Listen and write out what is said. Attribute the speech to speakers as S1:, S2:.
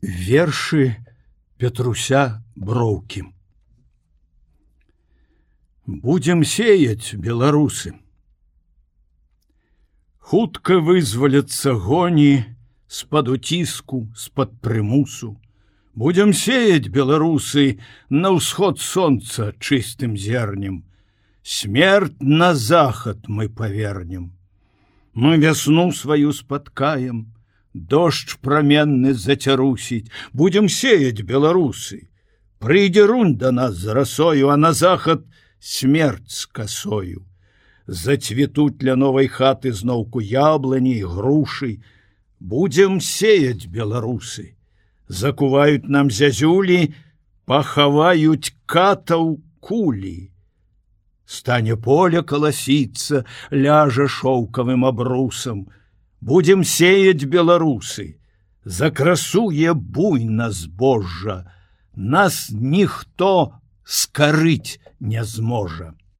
S1: Вершы Петруся Броўкі. Будзем сеяць, беларусы. Хутка вызваляцца гоні з-пад уціску, з-пад прымусу. Будзем сеяць, беларусы, на ўсход сонца чыстым зернем. Смерть на захад мы павернем. Мы вясну сваю спаткаем, дождж праменны зацярусіць. Будем сеять, беларусы. Прыйдзе рунь да нас з расою, а на захад смерть з касою. Зацветуць ля новай хаты зноўку яблыні і грушы. Будем сеять, беларусы. Закуваюць нам зязюлі, пахаваюць катаў кулі. Стане поле каласіцца, ляжа шоўкавым абрусам. Будем сеять, беларусы. Закрасуе буйна збожжа. Нас ніхто скарыць не зможа.